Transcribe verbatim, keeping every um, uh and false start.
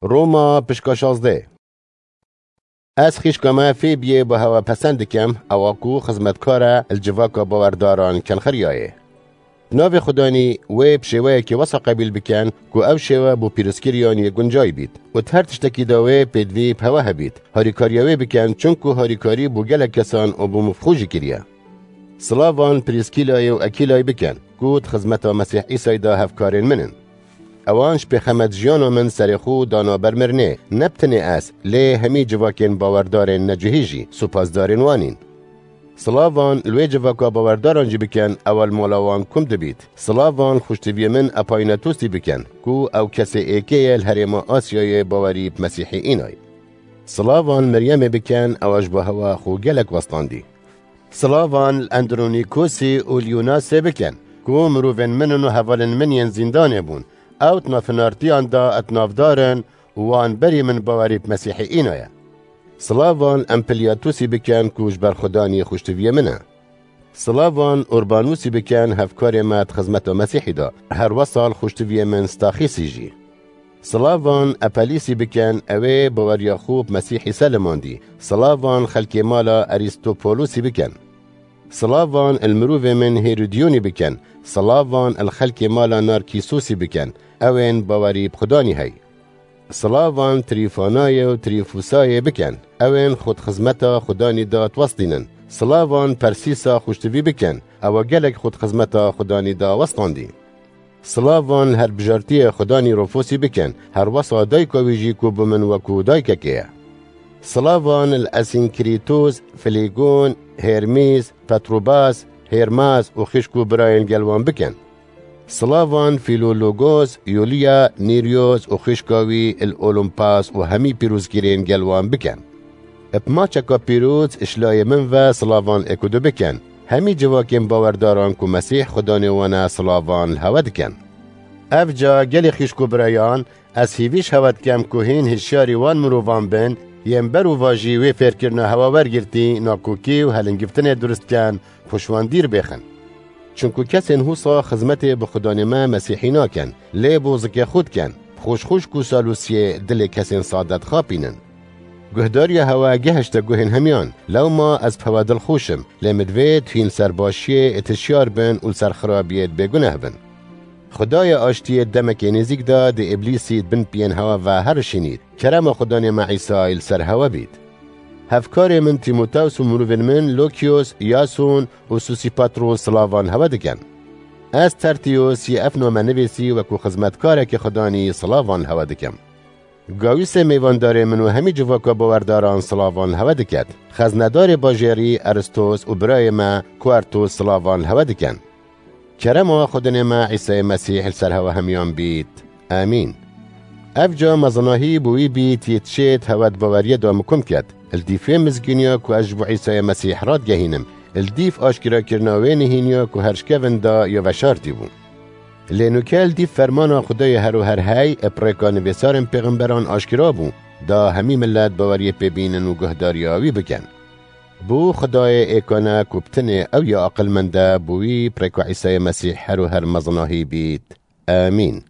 Roma pişka şazdeh. Ez xîşka me Fêbiyê bi hewa pesend dikim, ewa ku xizmetkar e li civaka bawerdaran kenxiriyayê. Navê Xudanî wê bi şêweyekê wesa qebîl bikin ku ew şêwe bo pîrozkiriyan yê guncay bît û di her tiştekî de wê pêdivî bi hewe hebît. Harîkariya wê bikin, çunku harîkarî bo gelek kesan û bo min xwe jî kiriye. Silavan Prîskîlayê û Ekîlayê bikin, ku di xizmeta Mesîh Îsayê de hevkarên min in. Ewan ji pêxemet jiyana min serê xwe dana ber mirinê, ne bi tenê ez, lê hemî civakên bawerdarên necihî jî supasdarên wan in. Silavan li wê civaka bawerdaran jî bikin, ewa li mala wan kum dibît. Silavan xweştiviyê min Epaynetosî bikin, ku ew kesê êkê ye li herêma Asyayê bawerî bi Mesîhê înay. Silavan Meryemê bikin, ewa ji bo hewa xwe gelek westandî. Silavan li Endronîkosî û li Yûnasê bikin, ku mirovên min in û hevalên min yên zîndanê bûn. Ew di navhinartiyan de di navdar in û wan berî min bawerî bi Mesîhê îna ye. Silavan Empilyatusî bikin, ku ji ber Xudanî xweştiviyê min e. Silavan Urbanusî bikin, hevkarê me di xizmeta Mesîhî de. Her wesal xweştiviyê min Staxîsî jî. Silavan Epelîsî bikin, ew ê baweriya xwe bi Mesîhî selimandî. Silavan xelkê mala Erîstopolusî bikin. Silavan il mirovê min Hêrodiyonî bikin. Silavan il xelkê mala Narkîsusî bikin, ew ên bawerî bi Xudanî hey. Silavan Trîfanayê û Trîfusayê bikin, ew ên xwe di xizmeta Xudanî de diwestînin. Silavan Persîsa xweştivî bikin, ewa gelek xwe di xizmeta Xudanî de westandî. Silavan li her bijartiyê Xudanî Rufusî bikin, her wesa dayika wî jî ku bi min wekû dayikekê ye. Silavan li Esînkrîtus, Filîgon, Hêrmîs, Petrobas, Hêrmas û xişk û birayên gel wan bikin. Silavan Filologos, Yuliya, Nîryos û xişka wî il Olumpas û hemî pîrozgirên gel wan bikin. Bi maçeka pîroz ji layê min ve silavan êk û du bikin. Hemî civakên bawerdaran ku Mesîh Xudanê wan e silavan li hewe dikin. Ev ca gelê xîşk û birayan, ez hîvî ji hewe dikim ku hîn hişyarî wan mirovan bin, yên ber û vajî wê fêrkirina hewe wergirtî, nakokî û helingiftinê durust ken, xwe ji wan dîr bêxin. Çunku kesên husa xizmetê bi Xudanê me Mesîhî nakin, lê bo zikê xwe dikin, bi xweş xweş ku salûsiyê dilê kesên sade dixapînin. Guhdariya hewe gehişte guhên hemiyan, lewma ez bi hewe dilxweş im, lê min divê tuhî li ser başiyê êt hişyar bin û li ser xirabiyê êt bêguneh bin. Xwedayê aştiyê di demekê nêzîk de di Îblîsî di bin piyên hewe ve herişînît. Kerema Xudanê me Îsayî li ser hewe bît. Hevkarê min Tîmotews û mirovên min Lokiyos, Yason û Sosîpatros silavan hewe dikin. Ez Tertiyos yê ev name nivîsî wekû xizmetkarekî Xudanî silavan hewe dikim. Gawîsê mêvandarê min û hemî civaka bawerdaran silavan hewe diket. Xeznedarê bajêrî Eristos û birayê me Kuertos silavan hewe dikin. Kerema Xwedinê me Îsayê Mesîh li ser hewe hemiyan bît. Amîn. Ev ca mezinahî bo wî bît, yê tişêt hewe di baweriyê de mikum ket. Li dîfê mizgîniya ku ez ji bo Îsayê Mesîh radigehînim, li dîf aşkirakirina wê nihîniya ku her ji kevin da ya veşartî bû. Lê nûke li dîf fermana Xwedayê her û her hey, bi rêka nivîsarên pêxemberan aşkira bû, da hemî milet baweriyê pê bînin û guhdariya wî bikin. Bo Xwedayê êkane ku bi tenê ew ya aqilmend e, bo wî bi rêka Îsayê Mesîh her û her mezinahî bît. Amîn.